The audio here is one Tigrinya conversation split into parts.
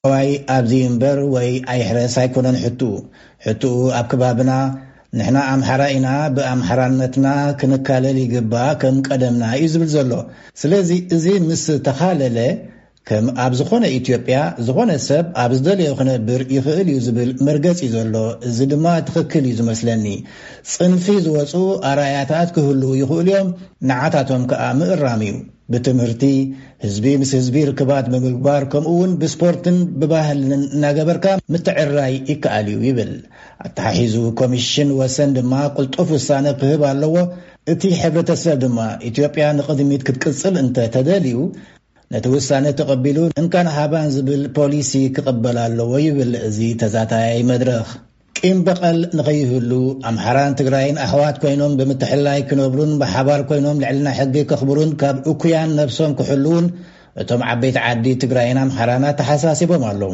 ትግራዋይ ኣብዚ እምበር ወይ ኣይሕረስ ኣይኮነን ሕትኡ። ሕትኡ ኣብ ከባብና ንሕና ኣምሓራ ኢና፣ ብኣምሓራነትና ክንካለል ይግባእ ከም ቀደምና እዩ ዝብል ዘሎ። ስለዚ እዚ ምስ ተኻለለ ከም ኣብ ዝኾነ ኢትዮጵያ ዝኾነ ሰብ ኣብ ዝደለዮ ክነብር ይኽእል እዩ ዝብል መርገጺ እዩ ዘሎ። እዚ ድማ ትኽክል እዩ ዝመስለኒ። ጽንፊ ዝወጹ ኣርኣያታት ክህልዉ ይኽእሉ እዮም፣ ንዓታቶም ከኣ ምእራም እዩ። ብትምህርቲ፣ ህዝቢ ምስ ህዝቢ ርክባት ብምግባር፣ ከምኡ እውን ብስፖርትን ብባህልን እናገበርካ ምትዕርራይ ይከኣል እዩ ይብል። ኣተሓሒዙ ኮሚሽን ወሰን ድማ ቅልጡፍ ውሳነ ክህብ ኣለዎ። እቲ ሕብረተሰብ ድማ ኢትዮጵያ ንቕድሚት ክትቅጽል እንተ ተደልዩ፣ ነቲ ውሳነ ተቐቢሉ እንካን ሃባን ዝብል ፖሊሲ ክቕበል ኣለዎ ይብል እዚ ተዛታያይ መድረኽ። ቂም በቐል ንኸይህሉ ኣምሓራን ትግራይን ኣሕዋት ኮይኖም ብምትሕልላይ ክነብሩን ብሓባር ኮይኖም ልዕልና ሕጊ ከኽብሩን ካብ እኩያን ነብሶም ክሕልውን እቶም ዓበይቲ ዓዲ ትግራይን ኣምሓራን ኣተሓሳሲቦም ኣለዉ።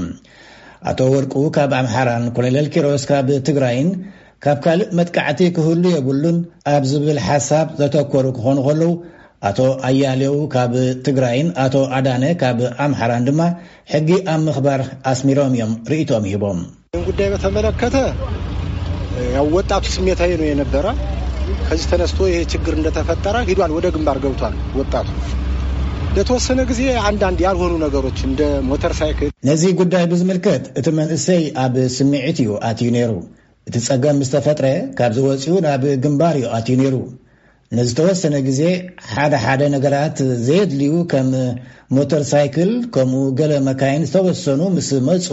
ኣቶ ወርቁ ካብ ኣምሓራን ኮሎኔል ኪሮስ ካብ ትግራይን ካብ ካልእ መጥቃዕቲ ክህሉ የብሉን ኣብ ዝብል ሓሳብ ዘተኮሩ ክኾኑ ከለዉ፣ ኣቶ ኣያሌው ካብ ትግራይን ኣቶ ኣዳነ ካብ ኣምሓራን ድማ ሕጊ ኣብ ምኽባር ኣስሚሮም እዮም ርእይቶም ሂቦም። ይህን ጉዳይ በተመለከተ ያው ወጣቱ ስሜታዊ ነው የነበረ። ከዚህ ተነስቶ ይሄ ችግር እንደተፈጠረ ሂዷል፣ ወደ ግንባር ገብቷል ወጣቱ። ለተወሰነ ጊዜ አንዳንድ ያልሆኑ ነገሮች እንደ ሞተር ሳይክል ነዚ ጉዳይ ብዝምልከት እቲ መንእሰይ ኣብ ስምዒት እዩ ኣትዩ ነይሩ። እቲ ጸገም ምስ ተፈጥረ ካብዚ ወጺኡ ናብ ግንባር እዩ ኣትዩ ነይሩ። ንዝተወሰነ ግዜ ሓደ ሓደ ነገራት ዘየድልዩ ከም ሞተር ሳይክል ከምኡ ገለ መካይን ዝተወሰኑ ምስ መጹ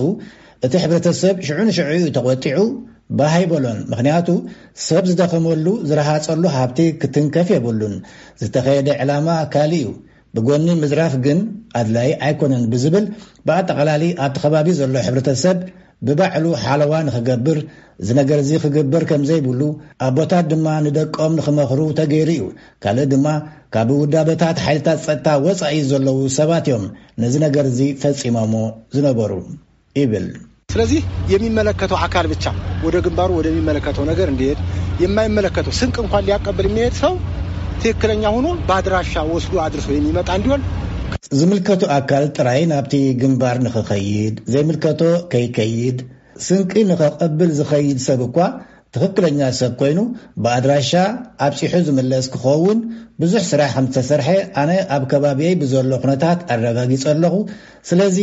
እቲ ሕብረተሰብ ሽዑ ንሽዑ እዩ ተቖጢዑ። ባህ ኣይበሎን። ምኽንያቱ ሰብ ዝደኸመሉ ዝረሃጸሉ ሃብቲ ክትንከፍ የብሉን። ዝተኸየደ ዕላማ ካልእ እዩ። ብጎኒ ምዝራፍ ግን ኣድላይ ኣይኮነን ብዝብል ብኣጠቓላሊ ኣብቲ ከባቢ ዘሎ ሕብረተሰብ ብባዕሉ ሓለዋ ንኽገብር፣ እዚ ነገር እዚ ክግበር ከም ዘይብሉ ኣቦታት ድማ ንደቆም ንኽመኽሩ ተገይሩ እዩ። ካልእ ድማ ካብ ውዳበታት ሓይልታት ጸጥታ ወጻኢ ዘለዉ ሰባት እዮም ነዚ ነገር እዚ ፈጺሞሞ ዝነበሩ ይብል። ስለዚህ የሚመለከተው አካል ብቻ ወደ ግንባሩ ወደሚመለከተው ነገር እንዲሄድ፣ የማይመለከተው ስንቅ እንኳን ሊያቀብል የሚሄድ ሰው ትክክለኛ ሆኖ በአድራሻ ወስዶ አድርሶ የሚመጣ እንዲሆን ዝምልከቱ ኣካል ጥራይ ናብቲ ግንባር ንኽኸይድ፣ ዘይምልከቶ ከይከይድ፣ ስንቂ ንኸቐብል ዝኸይድ ሰብ እኳ ትኽክለኛ ሰብ ኮይኑ ብኣድራሻ ኣብፂሑ ዝምለስ ክኸውን ብዙሕ ስራሕ ከም ዝተሰርሐ ኣነ ኣብ ከባቢየይ ብዘሎ ኩነታት ኣረጋጊፀ ኣለኹ። ስለዚ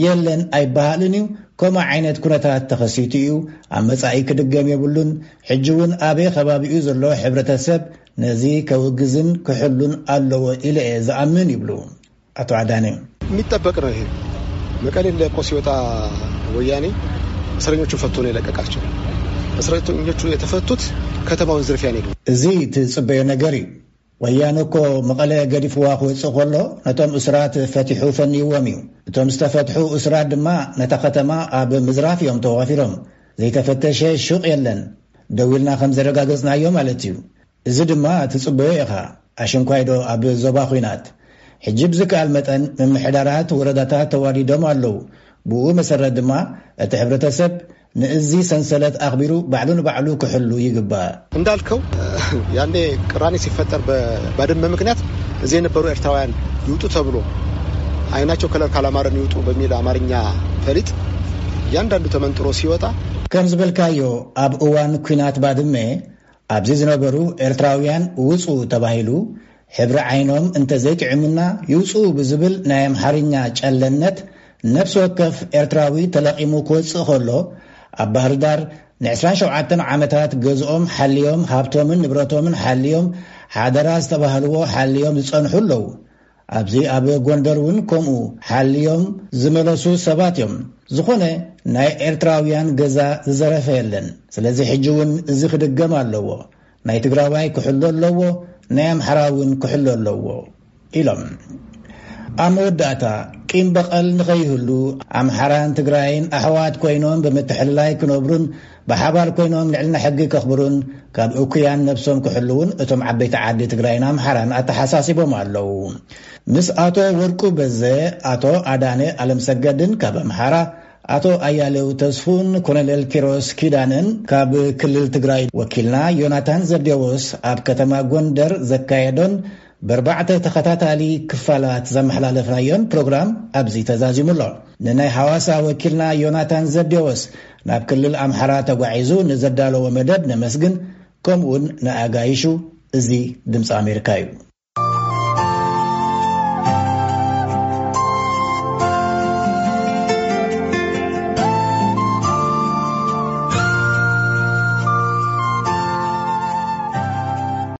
የለን ኣይበሃልን እዩ። ከምኡ ዓይነት ኩነታት ተኸሲቱ እዩ። ኣብ መጻኢ ክድገም የብሉን። ሕጂ እውን ኣበይ ከባቢኡ ዘሎ ሕብረተሰብ ነዚ ከውግዝን ክሕሉን ኣለዎ ኢለ እየ ዝኣምን ይብሉ ኣቶ ኣዳነ። የሚጠበቅ ነው። ይሄ መቀሌ ለቆ ሲወጣ ወያኔ እስረኞቹን ፈቶ ነው የለቀቃቸው። እስረኞቹ የተፈቱት ከተማውን ዝርፊያ ነው። እዚ ትጽበዮ ነገር እዩ። ወያነ እኮ መቐለ ገዲፍዋ ክወጽእ ከሎ ነቶም እሱራት ፈቲሑ ፈንይዎም እዩ። እቶም ዝተፈትሑ እሱራት ድማ ነታ ከተማ ኣብ ምዝራፍ እዮም ተዋፊሮም። ዘይተፈተሸ ሹቕ የለን። ደው ኢልና ከም ዘረጋገጽናዮ ማለት እዩ። እዚ ድማ ትጽበዮ ኢኻ። ኣሽንኳይዶ ኣብ ዞባ ኹናት ሕጂ ብዝከኣል መጠን ምምሕዳራት ወረዳታት ተዋዲዶም ኣለዉ። ብኡ መሰረት ድማ እቲ ሕብረተሰብ ንእዚ ሰንሰለት ኣኽቢሩ ባዕሉ ንባዕሉ ክሕሉ ይግባእ። እንዳልከው ያኔ ቅራኔ ሲፈጠር በባድመ ምክንያት እዚህ የነበሩ ኤርትራውያን ይውጡ ተብሎ አይናቸው ከለር ካላማረን ይውጡ በሚል አማርኛ ፈሊጥ እያንዳንዱ ተመንጥሮ ሲወጣ ከም ዝበልካዮ ኣብ እዋን ኲናት ባድመ ኣብዚ ዝነበሩ ኤርትራውያን ውጹ ተባሂሉ ሕብሪ ዓይኖም እንተዘይጥዕሙና ይውጽኡ ብዝብል ናይ ኣምሓርኛ ጨለነት ነፍሲ ወከፍ ኤርትራዊ ተለቒሙ ክወጽእ ከሎ ኣብ ባህርዳር ን27 ዓመታት ገዝኦም ሓልዮም ሃብቶምን ንብረቶምን ሓልዮም ሓደራ ዝተባህልዎ ሓልዮም ዝጸንሑ ኣለዉ። ኣብዚ ኣብ ጎንደር እውን ከምኡ ሓልዮም ዝመለሱ ሰባት እዮም። ዝኾነ ናይ ኤርትራውያን ገዛ ዝዘረፈ የለን። ስለዚ ሕጂ እውን እዚ ክድገም ኣለዎ። ናይ ትግራዋይ ክሕሎ ኣለዎ፣ ናይ ኣምሓራ እውን ክሕሎ ኣለዎ ኢሎም። ኣብ መወዳእታ ቂም በቐል ንኸይህሉ ኣምሓራን ትግራይን ኣሕዋት ኮይኖም ብምትሕልላይ ክነብሩን ብሓባር ኮይኖም ልዕልና ሕጊ ከኽብሩን ካብ እኩያን ነብሶም ክሕልውን እቶም ዓበይቲ ዓዲ ትግራይን ኣምሓራን ኣተሓሳሲቦም ኣለዉ። ምስ ኣቶ ወርቁ በዘ፣ ኣቶ ኣዳነ ኣለምሰገድን ካብ ኣምሓራ፣ ኣቶ ኣያሌው ተስፉን ኮሎኔል ኪሮስ ኪዳነን ካብ ክልል ትግራይ ወኪልና ዮናታን ዘብዴዎስ ኣብ ከተማ ጎንደር ዘካየዶን ብርባዕተ ተኸታታሊ ክፋላት ዘመሓላለፍናዮን ፕሮግራም ኣብዚ ተዛዚሙ ኣሎ። ንናይ ሐዋሳ ወኪልና ዮናታን ዘዴዎስ ናብ ክልል ኣምሓራ ተጓዒዙ ንዘዳለዎ መደብ ነመስግን። ከምኡውን ንኣጋይሹ። እዚ ድምፂ ኣሜሪካ እዩ።